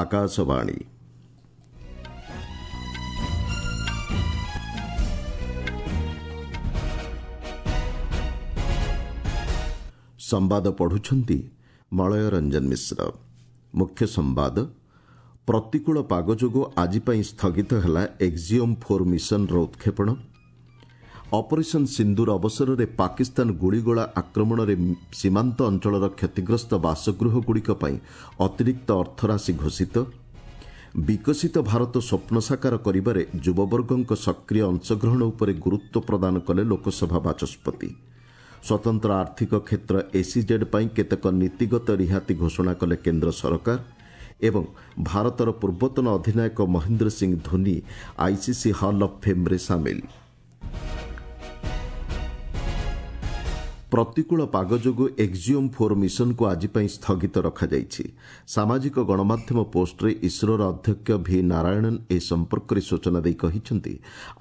ଆକାଶବାଣୀ। ସମ୍ବାଦ ପଢୁଛନ୍ତି ମଳୟ ରଞ୍ଜନ ମିଶ୍ର। ମୁଖ୍ୟ ସମ୍ବାଦ। ପ୍ରତିକୂଳ ପାଗ ଯୋଗୁଁ ଆଜି ପାଇଁ ସ୍ଥଗିତ ହେଲା ଏକ୍ଜିଓମ୍ 4 ମିଶନର ଉତ୍କ୍ଷେପଣ। ଅପରେସନ୍ ସିନ୍ଦୁର ଅବସରରେ ପାକିସ୍ତାନ ଗୁଳିଗୋଳା ଆକ୍ରମଣରେ ସୀମାନ୍ତ ଅଞ୍ଚଳର କ୍ଷତିଗ୍ରସ୍ତ ବାସଗୃହଗୁଡ଼ିକ ପାଇଁ ଅତିରିକ୍ତ ଅର୍ଥରାଶି ଘୋଷିତ। ବିକଶିତ ଭାରତ ସ୍ୱପ୍ନ ସାକାର କରିବାରେ ଯୁବବର୍ଗଙ୍କ ସକ୍ରିୟ ଅଂଶଗ୍ରହଣ ଉପରେ ଗୁରୁତ୍ୱ ପ୍ରଦାନ କଲେ ଲୋକସଭା ବାଚସ୍ପତି। ସ୍ୱତନ୍ତ୍ର ଆର୍ଥିକ କ୍ଷେତ୍ର ଏସ୍ଇଜେଡ୍ ପାଇଁ କେତେକ ନୀତିଗତ ରିହାତି ଘୋଷଣା କଲେ କେନ୍ଦ୍ର ସରକାର। ଏବଂ ଭାରତର ପୂର୍ବତନ ଅଧିନାୟକ Mahendra Singh Dhoni ICC hall of ଫେମ୍ରେ ସାମିଲ। ପ୍ରତିକୂଳ ପାଗ ଯୋଗୁଁ ଏକ୍ଜିଓମ୍ 4 ମିଶନକୁ ଆଜି ପାଇଁ ସ୍ଥଗିତ ରଖାଯାଇଛି। ସାମାଜିକ ଗଣମାଧ୍ୟମ ପୋଷ୍ଟରେ ଇସ୍ରୋର ଅଧ୍ୟକ୍ଷ ଭି ନାରାୟଣନ୍ ଏ ସମ୍ପର୍କରେ ସୂଚନା ଦେଇ କହିଛନ୍ତି,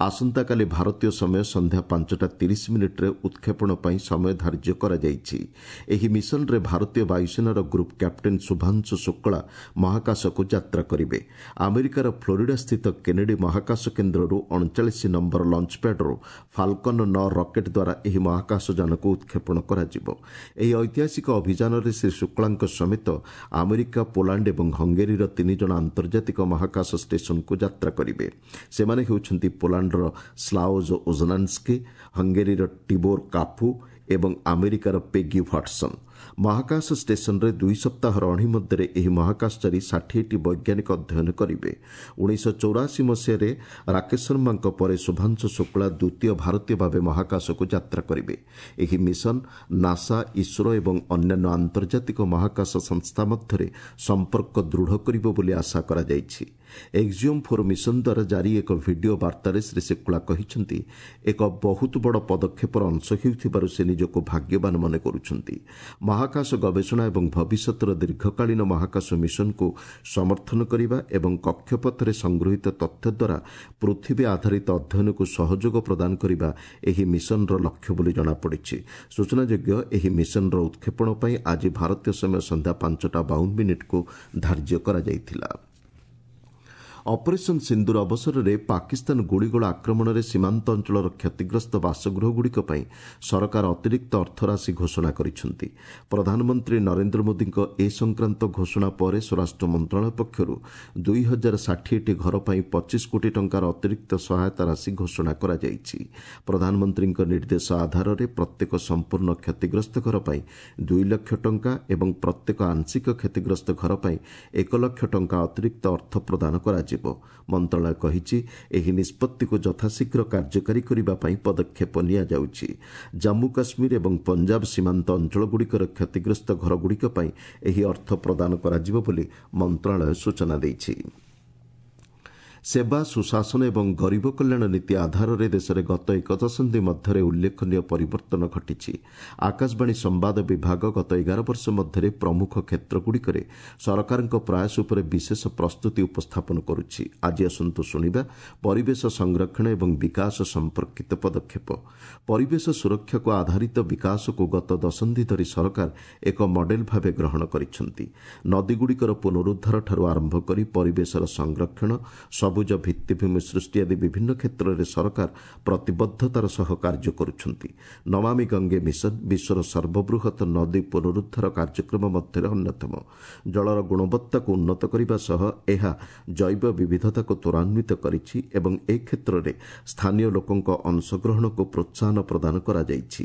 ଆସନ୍ତାକାଲି ଭାରତୀୟ ସମୟ ସନ୍ଧ୍ୟା 5ଟା 30 ମିନିଟ୍ରେ ଉତ୍କ୍ଷେପଣ ପାଇଁ ସମୟ ଧାର୍ଯ୍ୟ କରାଯାଇଛି। ଏହି ମିଶନରେ ଭାରତୀୟ ବାୟୁସେନାର ଗ୍ରୁପ୍ କ୍ୟାପ୍ଟେନ୍ ଶୁଭାଂଶୁ ଶୁକ୍ଳା ମହାକାଶକୁ ଯାତ୍ରା କରିବେ। ଆମେରିକାର ଫ୍ଲୋରିଡାସ୍ଥିତ କେନେଡି ମହାକାଶ କେନ୍ଦ୍ରରୁ 39 ନମ୍ବର ଲଞ୍ଚପ୍ୟାଡ୍ରୁ ଫାଲକନ୍ 9 ରକେଟ୍ ଦ୍ୱାରା ଏହି ମହାକାଶଯାନକୁ ଉତ୍କ୍ଷେପଣ କରାଯିବ। ଏହି ଐତିହାସିକ ଅଭିଯାନରେ ଶ୍ରୀ ଶୁକ୍ଳାଙ୍କ ସମେତ ଆମେରିକା, ପୋଲାଣ୍ଡ ଏବଂ ହଙ୍ଗେରୀର ତିନି ଜଣ ଆନ୍ତର୍ଜାତିକ ମହାକାଶ ଷ୍ଟେସନକୁ ଯାତ୍ରା କରିବେ। ସେମାନେ ହେଉଛନ୍ତି ପୋଲାଣ୍ଡର ସ୍ଲାଓଜ୍ ଉଜ୍ନାନ୍ସ୍କି, ହଙ୍ଗେରୀର ଟିବୋର୍ କାପୁ ଏବଂ ଆମେରିକାର ପେଗି ହ୍ୱାଟ୍ସନ୍। ମହାକାଶ ଷ୍ଟେସନରେ 2 ସପ୍ତାହର ଅଣୀ ମଧ୍ୟରେ ଏହି ମହାକାଶଚାରୀ 60ଟି ବୈଜ୍ଞାନିକ ଅଧ୍ୟୟନ କରିବେ। 1984 ମସିହାରେ ରାକେଶ ଶର୍ମାଙ୍କ ପରେ ଶୁଭାଂଶୁ ଶୁକ୍ଳା ଦ୍ୱିତୀୟ ଭାରତୀୟ ଭାବେ ମହାକାଶକୁ ଯାତ୍ରା କରିବେ। ଏହି ମିଶନ ନାସା, ଇସ୍ରୋ ଏବଂ ଅନ୍ୟାନ୍ୟ ଆନ୍ତର୍ଜାତିକ ମହାକାଶ ସଂସ୍ଥା ମଧ୍ୟରେ ସମ୍ପର୍କ ଦୃଢ଼ କରିବ ବୋଲି ଆଶା କରାଯାଇଛି। ଏକ୍ଜିଓମ୍ 4 ମିଶନ ଦ୍ୱାରା ଜାରି ଏକ ଭିଡିଓ ବାର୍ତ୍ତାରେ ଶ୍ରୀ ଶୁକ୍ଳା କହିଛନ୍ତି, ଏକ ବହୁତ ବଡ଼ ପଦକ୍ଷେପର ଅଂଶ ହେଉଥିବାରୁ ସେ ନିଜକୁ ଭାଗ୍ୟବାନ ମନେ କରୁଛନ୍ତି। ମହାକାଶ ଗବେଷଣା ଏବଂ ଭବିଷ୍ୟତର ଦୀର୍ଘକାଳୀନ ମହାକାଶ ମିଶନକୁ ସମର୍ଥନ କରିବା ଏବଂ କକ୍ଷପଥରେ ସଂଗୃହୀତ ତଥ୍ୟ ଦ୍ୱାରା ପୃଥିବୀ ଆଧାରିତ ଅଧ୍ୟୟନକୁ ସହଯୋଗ ପ୍ରଦାନ କରିବା ଏହି ମିଶନର ଲକ୍ଷ୍ୟ ବୋଲି ଜଣାପଡ଼ିଛି। ସୂଚନାଯୋଗ୍ୟ, ଏହି ମିଶନର ଉତ୍କ୍ଷେପଣ ପାଇଁ ଆଜି ଭାରତୀୟ ସମୟ ସନ୍ଧ୍ୟା 5ଟା 52 ମିନିଟ୍କୁ ଧାର୍ଯ୍ୟ କରାଯାଇଥିଲା। ଅପରେସନ୍ ସିନ୍ଦୁର ଅବସରରେ ପାକିସ୍ତାନ ଗୁଳିଗୋଳା ଆକ୍ରମଣରେ ସୀମାନ୍ତ ଅଞ୍ଚଳର କ୍ଷତିଗ୍ରସ୍ତ ବାସଗୃହଗୁଡ଼ିକ ପାଇଁ ସରକାର ଅତିରିକ୍ତ ଅର୍ଥରାଶି ଘୋଷଣା କରିଛନ୍ତି। ପ୍ରଧାନମନ୍ତ୍ରୀ ନରେନ୍ଦ୍ର ମୋଦିଙ୍କ ଏ ସଂକ୍ରାନ୍ତ ଘୋଷଣା ପରେ ସ୍ୱରାଷ୍ଟ୍ର ମନ୍ତ୍ରଣାଳୟ ପକ୍ଷରୁ 2060ଟି ଘର ପାଇଁ 25 କୋଟି ଟଙ୍କାର ଅତିରିକ୍ତ ସହାୟତା ରାଶି ଘୋଷଣା କରାଯାଇଛି। ପ୍ରଧାନମନ୍ତ୍ରୀଙ୍କ ନିର୍ଦ୍ଦେଶ ଆଧାରରେ ପ୍ରତ୍ୟେକ ସମ୍ପୂର୍ଣ୍ଣ କ୍ଷତିଗ୍ରସ୍ତ ଘର ପାଇଁ 2 ଲକ୍ଷ ଟଙ୍କା ଏବଂ ପ୍ରତ୍ୟେକ ଆଂଶିକ କ୍ଷତିଗ୍ରସ୍ତ ଘର ପାଇଁ 1 ଲକ୍ଷ ଟଙ୍କା ଅତିରିକ୍ତ ଅର୍ଥ ପ୍ରଦାନ କରାଯିବ। ମନ୍ତ୍ରଣାଳୟ କହିଛି, ଏହି ନିଷ୍ପତ୍ତିକୁ ଯଥାଶୀଘ୍ର କାର୍ଯ୍ୟକାରୀ କରିବା ପାଇଁ ପଦକ୍ଷେପ ନିଆଯାଉଛି। ଜାମ୍ମୁ କାଶ୍ମୀର ଏବଂ ପଞ୍ଜାବ ସୀମାନ୍ତ ଅଞ୍ଚଳଗୁଡ଼ିକର କ୍ଷତିଗ୍ରସ୍ତ ଘରଗୁଡ଼ିକ ପାଇଁ ଏହି ଅର୍ଥ ପ୍ରଦାନ କରାଯିବ ବୋଲି ମନ୍ତ୍ରଣାଳୟ ସୂଚନା ଦେଇଛି। ସେବା, ସୁଶାସନ ଏବଂ ଗରିବ କଲ୍ୟାଣ ନୀତି ଆଧାରରେ ଦେଶରେ ଗତ ଏକ ଦଶନ୍ଧି ମଧ୍ୟରେ ଉଲ୍ଲେଖନୀୟ ପରିବର୍ତ୍ତନ ଘଟିଛି। ଆକାଶବାଣୀ ସମ୍ବାଦ ବିଭାଗ ଗତ 11 ବର୍ଷ ମଧ୍ୟରେ ପ୍ରମୁଖ କ୍ଷେତ୍ରଗୁଡ଼ିକରେ ସରକାରଙ୍କ ପ୍ରୟାସ ଉପରେ ବିଶେଷ ପ୍ରସ୍ତୁତି ଉପସ୍ଥାପନ କରୁଛି। ଆଜି ଆସନ୍ତୁ ଶୁଣିବା ପରିବେଶ ସଂରକ୍ଷଣ ଏବଂ ବିକାଶ ସମ୍ପର୍କିତ ପଦକ୍ଷେପ। ପରିବେଶ ସୁରକ୍ଷାକୁ ଆଧାରିତ ବିକାଶକୁ ଗତ ଦଶନ୍ଧି ଧରି ସରକାର ଏକ ମଡେଲ ଭାବେ ଗ୍ରହଣ କରିଛନ୍ତି। ନଦୀଗୁଡ଼ିକର ପୁନରୁଦ୍ଧାରଠାରୁ ଆରମ୍ଭ କରି ପରିବେଶର ସଂରକ୍ଷଣ, ସବୁଜ ଭିତ୍ତିଭୂମି ସୃଷ୍ଟି ଆଦି ବିଭିନ୍ନ କ୍ଷେତ୍ରରେ ସରକାର ପ୍ରତିବଦ୍ଧତାର ସହ କାର୍ଯ୍ୟ କରୁଛନ୍ତି। ନମାମି ଗଙ୍ଗେ ମିଶନ ବିଶ୍ୱର ସର୍ବବୃହତ୍ ନଦୀ ପୁନରୁଦ୍ଧାର କାର୍ଯ୍ୟକ୍ରମ ମଧ୍ୟରେ ଅନ୍ୟତମ। ଜଳର ଗୁଣବତ୍ତାକୁ ଉନ୍ନତ କରିବା ସହ ଏହା ଜୈବ ବିବିଧତାକୁ ତ୍ୱରାନ୍ୱିତ କରିଛି ଏବଂ ଏ କ୍ଷେତ୍ରରେ ସ୍ଥାନୀୟ ଲୋକଙ୍କ ଅଂଶଗ୍ରହଣକୁ ପ୍ରୋତ୍ସାହନ ପ୍ରଦାନ କରାଯାଇଛି।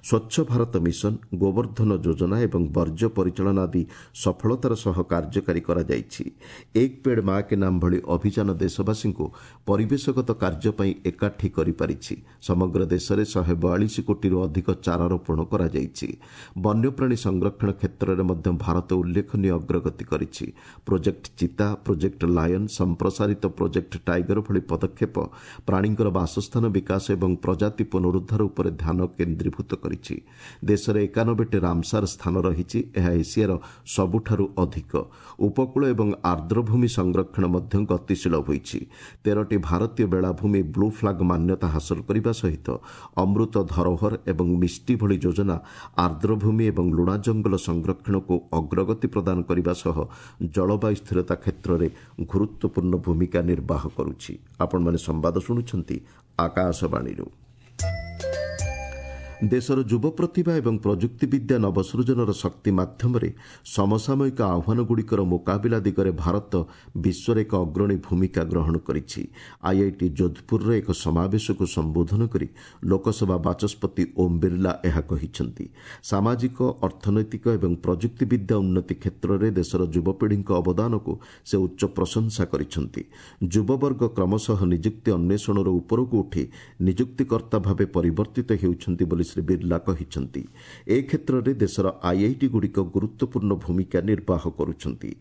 ସ୍ୱଚ୍ଛ ଭାରତ ମିଶନ, ଗୋବର୍ଦ୍ଧନ ଯୋଜନା ଏବଂ ବର୍ଜ୍ୟ ପରିଚାଳନା ଆଦି ସଫଳତାର ସହ କାର୍ଯ୍ୟକାରୀ କରାଯାଇଛି। ଏକ୍ ପେଡ୍ ମା କେ ନାମ ଭଳି ଅଭିଯାନ ଦେଶବାସୀଙ୍କୁ ପରିବେଶଗତ କାର୍ଯ୍ୟ ପାଇଁ ଏକାଠି କରିପାରିଛି। ସମଗ୍ର ଦେଶରେ 142 କୋଟିରୁ ଅଧିକ ଚାରା ରୋପଣ କରାଯାଇଛି। ବନ୍ୟପ୍ରାଣୀ ସଂରକ୍ଷଣ କ୍ଷେତ୍ରରେ ମଧ୍ୟ ଭାରତ ଉଲ୍ଲେଖନୀୟ ଅଗ୍ରଗତି କରିଛି। ପ୍ରୋଜେକ୍ଟ ଚିତା, ପ୍ରୋଜେକ୍ଟ ଲାୟନ୍, ସମ୍ପ୍ରସାରିତ ପ୍ରୋଜେକ୍ଟ ଟାଇଗର ଭଳି ପଦକ୍ଷେପ ପ୍ରାଣୀଙ୍କର ବାସସ୍ଥାନ ବିକାଶ ଏବଂ ପ୍ରଜାତି ପୁନରୁଦ୍ଧାର ଉପରେ ଧ୍ୟାନ କେନ୍ଦ୍ରୀଭୂତ କରିଛି। ଦେଶରେ 91ଟି ରାମସାର ସ୍ଥାନ ରହିଛି। ଏହା ଏସିଆର ସବୁଠାରୁ ଅଧିକ। ଉପକୂଳ ଏବଂ ଆର୍ଦ୍ରଭୂମି ସଂରକ୍ଷଣ ମଧ୍ୟ ଗତିଶୀଳ ହୋଇଛି। ହୋଇଛି। 13ଟି ଭାରତୀୟ ବେଳାଭୂମି ବ୍ଲୁ ଫ୍ଲାଗ୍ ମାନ୍ୟତା ହାସଲ କରିବା ସହିତ ଅମୃତ ଧରୋହର ଏବଂ ମିଷ୍ଟି ଭଳି ଯୋଜନା ଆର୍ଦ୍ରଭୂମି ଏବଂ ଲୁଣା ଜଙ୍ଗଲ ସଂରକ୍ଷଣକୁ ଅଗ୍ରଗତି ପ୍ରଦାନ କରିବା ସହ ଜଳବାୟୁ ସ୍ଥିରତା କ୍ଷେତ୍ରରେ ଗୁରୁତ୍ୱପୂର୍ଣ୍ଣ ଭୂମିକା ନିର୍ବାହ କରୁଛି। ଆପଣମାନେ ସମ୍ବାଦ ଶୁଣୁଛନ୍ତି ଆକାଶବାଣୀରୁ। ଦେଶର ଯୁବ ପ୍ରତିଭା ଏବଂ ପ୍ରଯୁକ୍ତିବିଦ୍ୟା ନବସୃଜନର ଶକ୍ତି ମାଧ୍ୟମରେ ସମସାମୟିକ ଆହ୍ୱାନଗୁଡ଼ିକର ମୁକାବିଲା ଦିଗରେ ଭାରତ ବିଶ୍ୱରେ ଏକ ଅଗ୍ରଣୀ ଭୂମିକା ଗ୍ରହଣ କରିଛି। ଆଇଆଇଟି ଯୋଧପୁରର ଏକ ସମାବେଶକୁ ସମ୍ବୋଧନ କରି ଲୋକସଭା ବାଚସ୍ପତି ଓମ୍ ବିର୍ଲା ଏହା କହିଛନ୍ତି। ସାମାଜିକ, ଅର୍ଥନୈତିକ ଏବଂ ପ୍ରଯୁକ୍ତିବିଦ୍ୟା ଉନ୍ନତି କ୍ଷେତ୍ରରେ ଦେଶର ଯୁବପିଢ଼ିଙ୍କ ଅବଦାନକୁ ସେ ଉଚ୍ଚ ପ୍ରଶଂସା କରିଛନ୍ତି। ଯୁବବର୍ଗ କ୍ରମଶଃ ନିଯୁକ୍ତି ଅନ୍ୱେଷଣରୁ ଉପରକୁ ଉଠି ନିଯୁକ୍ତିକର୍ତ୍ତା ଭାବେ ପରିବର୍ତ୍ତିତ ହେଉଛନ୍ତି ବୋଲି ଶ୍ରୀ ବିର୍ଲା କହିଛନ୍ତି। ଏ କ୍ଷେତ୍ରରେ ଦେଶର ଆଇଆଇଟିଗୁଡ଼ିକ ଗୁରୁତ୍ୱପୂର୍ଣ୍ଣ ଭୂମିକା ନିର୍ବାହ କରୁଛନ୍ତି।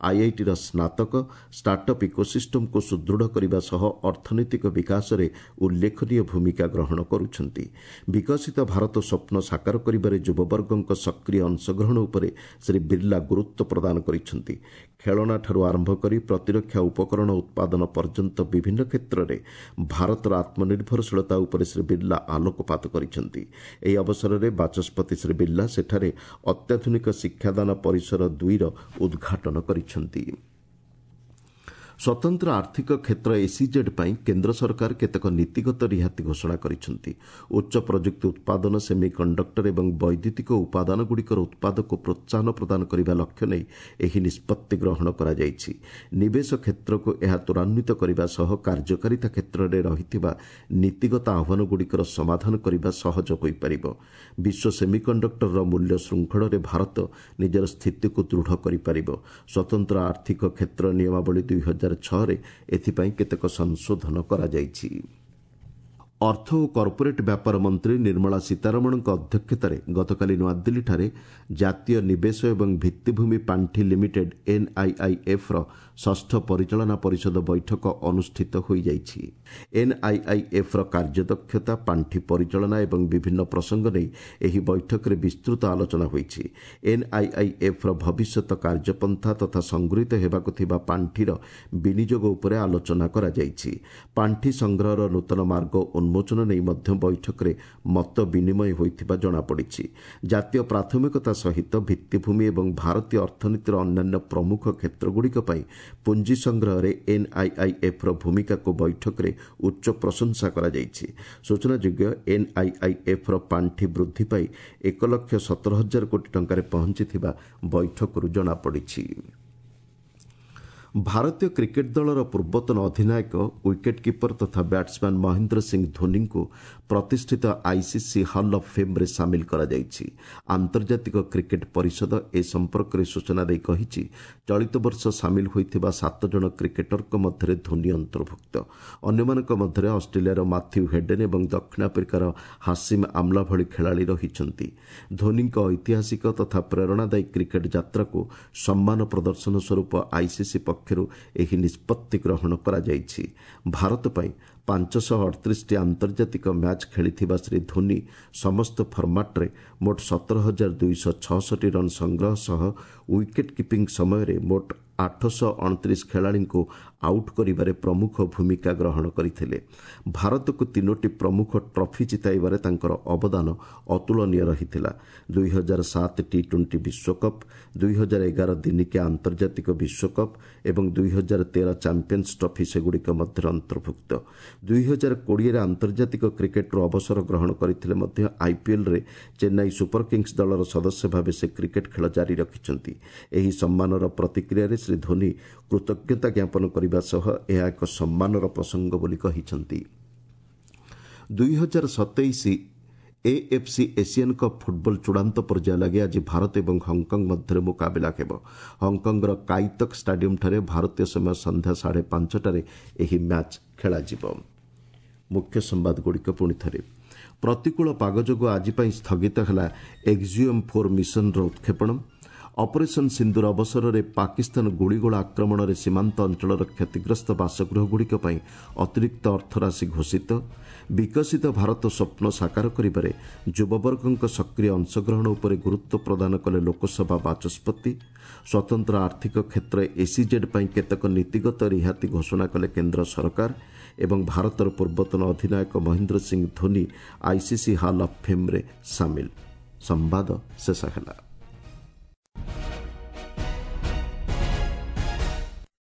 ଆଇଆଇଟିର ସ୍ନାତକ ଷ୍ଟାର୍ଟଅପ୍ ଇକୋସିଷ୍ଟମକୁ ସୁଦୃଢ଼ କରିବା ସହ ଅର୍ଥନୈତିକ ବିକାଶରେ ଉଲ୍ଲେଖନୀୟ ଭୂମିକା ଗ୍ରହଣ କରୁଛନ୍ତି। ବିକଶିତ ଭାରତ ସ୍ୱପ୍ନ ସାକାର କରିବାରେ ଯୁବବର୍ଗଙ୍କ ସକ୍ରିୟ ଅଂଶଗ୍ରହଣ ଉପରେ ଶ୍ରୀ ବିର୍ଲା ଗୁରୁତ୍ୱ ପ୍ରଦାନ କରିଛନ୍ତି। ଖେଳଣାଠାରୁ ଆରମ୍ଭ କରି ପ୍ରତିରକ୍ଷା ଉପକରଣ ଉତ୍ପାଦନ ପର୍ଯ୍ୟନ୍ତ ବିଭିନ୍ନ କ୍ଷେତ୍ରରେ ଭାରତର ଆତ୍ମନିର୍ଭରଶୀଳତା ଉପରେ ଶ୍ରୀ ବିର୍ଲା ଆଲୋକପାତ କରିଛନ୍ତି। ଏହି ଅବସରରେ ବାଚସ୍ପତି ଶ୍ରୀ ବିର୍ଲା ସେଠାରେ ଅତ୍ୟାଧୁନିକ ଶିକ୍ଷାଦାନ ପରିସର 2ର ଉଦ୍ଘାଟନ କରିଛନ୍ତି। ସ୍ୱତନ୍ତ୍ର ଆର୍ଥିକ କ୍ଷେତ୍ର ଏସ୍ଇଜେଡ୍ ପାଇଁ କେନ୍ଦ୍ର ସରକାର କେତେକ ନୀତିଗତ ରିହାତି ଘୋଷଣା କରିଛନ୍ତି। ଉଚ୍ଚ ପ୍ରଯୁକ୍ତି ଉତ୍ପାଦନ, ସେମି କଣ୍ଡକ୍ଟର ଏବଂ ବୈଦ୍ୟୁତିକ ଉପାଦାନଗୁଡ଼ିକର ଉତ୍ପାଦକୁ ପ୍ରୋତ୍ସାହନ ପ୍ରଦାନ କରିବା ଲକ୍ଷ୍ୟ ନେଇ ଏହି ନିଷ୍ପତ୍ତି ଗ୍ରହଣ କରାଯାଇଛି। ନିବେଶ କ୍ଷେତ୍ରକୁ ଏହା ତ୍ୱରାନ୍ୱିତ କରିବା ସହ କାର୍ଯ୍ୟକାରିତା କ୍ଷେତ୍ରରେ ରହିଥିବା ନୀତିଗତ ଆହ୍ୱାନଗୁଡ଼ିକର ସମାଧାନ କରିବା ସହଜ ହୋଇପାରିବ। ବିଶ୍ୱ ସେମି କଣ୍ଡକ୍ଟରର ମୂଲ୍ୟ ଶୃଙ୍ଖଳରେ ଭାରତ ନିଜର ସ୍ଥିତିକୁ ଦୃଢ଼ କରିପାରିବ। ସ୍ୱତନ୍ତ୍ର ଆର୍ଥିକ କ୍ଷେତ୍ର ନିୟମାବଳୀ 2006ରେ ଏଥିପାଇଁ କେତେକ ସଂଶୋଧନ କରାଯାଇଛି। ଅର୍ଥ ଓ କର୍ପୋରେଟ୍ ବ୍ୟାପାର ମନ୍ତ୍ରୀ ନିର୍ମଳା ସୀତାରମଣଙ୍କ ଅଧ୍ୟକ୍ଷତାରେ ଗତକାଲି ନୂଆଦିଲ୍ଲୀଠାରେ ଜାତୀୟ ନିବେଶ ଏବଂ ଭିତ୍ତିଭୂମି ପାଣ୍ଠି ଲିମିଟେଡ୍ ଏନ୍ଆଇଆଇଏଫ୍ର ଷଷ୍ଠ ପରିଚାଳନା ପରିଷଦ ବୈଠକ ଅନୁଷ୍ଠିତ ହୋଇଯାଇଛି। ଏନ୍ଆଇଆଇଏଫ୍ର କାର୍ଯ୍ୟଦକ୍ଷତା, ପାଣ୍ଠି ପରିଚାଳନା ଏବଂ ବିଭିନ୍ନ ପ୍ରସଙ୍ଗ ନେଇ ଏହି ବୈଠକରେ ବିସ୍ତୃତ ଆଲୋଚନା ହୋଇଛି। ଏନ୍ଆଇଆଇଏଫ୍ର ଭବିଷ୍ୟତ କାର୍ଯ୍ୟପନ୍ଥା ତଥା ସଂଗୃହୀତ ହେବାକୁ ଥିବା ପାଣ୍ଠିର ବିନିଯୋଗ ଉପରେ ଆଲୋଚନା କରାଯାଇଛି। ପାଣ୍ଠି ସଂଗ୍ରହର ନୂତନ ମାର୍ଗ ଉନ୍ମୋଚନ ନେଇ ମଧ୍ୟ ବୈଠକରେ ମତ ବିନିମୟ ହୋଇଥିବା ଜଣାପଡ଼ିଛି। ଜାତୀୟ ପ୍ରାଥମିକତା ସହିତ ଭିତ୍ତିଭୂମି ଏବଂ ଭାରତୀୟ ଅର୍ଥନୀତିର ଅନ୍ୟାନ୍ୟ ପ୍ରମୁଖ କ୍ଷେତ୍ରଗୁଡ଼ିକ ପାଇଁ ପୁଞ୍ଜି ସଂଗ୍ରହରେ ଏନ୍ଆଇଆଇଏଫ୍ର ଭୂମିକାକୁ ବୈଠକରେ ଉଚ୍ଚ ପ୍ରଶଂସା କରାଯାଇଛି। ସୂଚନାଯୋଗ୍ୟ, ଏନ୍ଆଇଆଇଏଫ୍ର ପାଣ୍ଠି ବୃଦ୍ଧି ପାଇ 1,17,000 କୋଟି ଟଙ୍କାରେ ପହଞ୍ଚିଥିବା ବୈଠକରୁ ଜଣାପଡ଼ିଛି। ଭାରତୀୟ କ୍ରିକେଟ୍ ଦଳର ପୂର୍ବତନ ଅଧିନାୟକ, ୱିକେଟ୍ କିପର ତଥା ବ୍ୟାଟ୍ସମ୍ୟାନ୍ ମହେନ୍ଦ୍ର ସିଂ ଧୋନିଙ୍କୁ ପ୍ରତିଷ୍ଠିତ ଆଇସିସି ହଲ୍ ଅଫ୍ ଫେମ୍ରେ ସାମିଲ କରାଯାଇଛି। ଆନ୍ତର୍ଜାତିକ କ୍ରିକେଟ୍ ପରିଷଦ ଏ ସମ୍ପର୍କରେ ସୂଚନା ଦେଇ କହିଛି, ଚଳିତ ବର୍ଷ ସାମିଲ ହୋଇଥିବା 7 ଜଣ କ୍ରିକେଟରଙ୍କ ମଧ୍ୟରେ ଧୋନି ଅନ୍ତର୍ଭୁକ୍ତ। ଅନ୍ୟମାନଙ୍କ ମଧ୍ୟରେ ଅଷ୍ଟ୍ରେଲିଆର ମାଥ୍ୟୁ ହେଡେନ୍ ଏବଂ ଦକ୍ଷିଣ ଆଫ୍ରିକାର ହାସିମ୍ ଆମ୍ଲା ଭଳି ଖେଳାଳି ରହିଛନ୍ତି। ଧୋନିଙ୍କ ଐତିହାସିକ ତଥା ପ୍ରେରଣାଦାୟୀ କ୍ରିକେଟ୍ ଯାତ୍ରାକୁ ସମ୍ମାନ ପ୍ରଦର୍ଶନ ସ୍ୱରୂପ ଆଇସିସି ପକ୍ଷରୁ ଏହି ନିଷ୍ପତ୍ତି ଗ୍ରହଣ କରାଯାଇଛି। ଭାରତ ପାଇଁ 538ଟି ଆନ୍ତର୍ଜାତିକ ମ୍ୟାଚ୍ ଖେଳିଥିବା ଶ୍ରୀ ଧୋନି ସମସ୍ତ ଫର୍ମାଟ୍ରେ ମୋଟ 17,266 ରନ୍ ସଂଗ୍ରହ ସହ ୱିକେଟ୍ କିପିଂ ସମୟରେ ମୋଟ 829 ଖେଳାଳିଙ୍କୁ ଆଉଟ୍ କରିବାରେ ପ୍ରମୁଖ ଭୂମିକା ଗ୍ରହଣ କରିଥିଲେ। ଭାରତକୁ 3ଟି ପ୍ରମୁଖ ଟ୍ରଫି ଜିତାଇବାରେ ତାଙ୍କର ଅବଦାନ ଅତୁଳନୀୟ ରହିଥିଲା। 2007 ଟି-20 ବିଶ୍ୱକପ୍, 2011 ଦିନିକିଆ ଆନ୍ତର୍ଜାତିକ ବିଶ୍ୱକପ୍ ଏବଂ 2013 ଚାମ୍ପିୟନ୍ସ ଟ୍ରଫି ସେଗୁଡ଼ିକ ମଧ୍ୟରେ ଅନ୍ତର୍ଭୁକ୍ତ। 2020ରେ ଆନ୍ତର୍ଜାତିକ କ୍ରିକେଟ୍ରୁ ଅବସର ଗ୍ରହଣ କରିଥିଲେ ମଧ୍ୟ ଆଇପିଏଲ୍ରେ ଚେନ୍ନାଇ ସୁପର କିଙ୍ଗସ୍ ଦଳର ସଦସ୍ୟ ଭାବେ ସେ କ୍ରିକେଟ୍ ଖେଳ ଜାରି ରଖିଛନ୍ତି। ଏହି ସମ୍ମାନର ପ୍ରତିକ୍ରିୟାରେ ଶ୍ରୀ ଧୋନି କୃତଜ୍ଞତା ଜ୍ଞାପନ କରିବା ସହ ଏହା ଏକ ସମ୍ମାନର ପ୍ରସଙ୍ଗ ବୋଲି କହିଛନ୍ତି। 2027 ଏଏଫ୍ସି ଏସିଆନ୍ କପ୍ ଫୁଟବଲ ଚୂଡ଼ାନ୍ତ ପର୍ଯ୍ୟାୟ ଲାଗି ଆଜି ଭାରତ ଏବଂ ହଂକଂ ମଧ୍ୟରେ ମୁକାବିଲା ହେବ। ହଂକଂର କାଇତକ୍ ଷ୍ଟାଡିୟମ୍ଠାରେ ଭାରତୀୟ ସମୟ ସନ୍ଧ୍ୟା 5:30ଟାରେ ଏହି ମ୍ୟାଚ୍ ଖେଳାଯିବ। ମୁଖ୍ୟ ସମ୍ବାଦଗୁଡ଼ିକ ପୁଣି ଥରେ। ପ୍ରତିକୂଳ ପାଗ ଯୋଗୁଁ ଆଜି ପାଇଁ ସ୍ଥଗିତ ହେଲା ଏକ୍ଜିଓମ୍ 4 ମିଶନର ଉତ୍କ୍ଷେପଣ। ଅପରେସନ୍ ସିନ୍ଦୁର ଅବସରରେ ପାକିସ୍ତାନ ଗୁଳିଗୋଳା ଆକ୍ରମଣରେ ସୀମାନ୍ତ ଅଞ୍ଚଳର କ୍ଷତିଗ୍ରସ୍ତ ବାସଗୃହଗୁଡ଼ିକ ପାଇଁ ଅତିରିକ୍ତ ଅର୍ଥରାଶି ଘୋଷିତ। ବିକଶିତ ଭାରତ ସ୍ୱପ୍ନ ସାକାର କରିବାରେ ଯୁବବର୍ଗଙ୍କ ସକ୍ରିୟ ଅଂଶଗ୍ରହଣ ଉପରେ ଗୁରୁତ୍ୱ ପ୍ରଦାନ କଲେ ଲୋକସଭା ବାଚସ୍ପତି। ସ୍ୱତନ୍ତ୍ର ଆର୍ଥିକ କ୍ଷେତ୍ର ଏସ୍ଇଜେଡ୍ ପାଇଁ କେତେକ ନୀତିଗତ ରିହାତି ଘୋଷଣା କଲେ କେନ୍ଦ୍ର ସରକାର। ଏବଂ ଭାରତର ପୂର୍ବତନ ଅଧିନାୟକ Mahendra Singh Dhoni ICC hall of ଫେମ୍ରେ ସାମିଲ। ସମ୍ବାଦ ଶେଷ ହେଲା।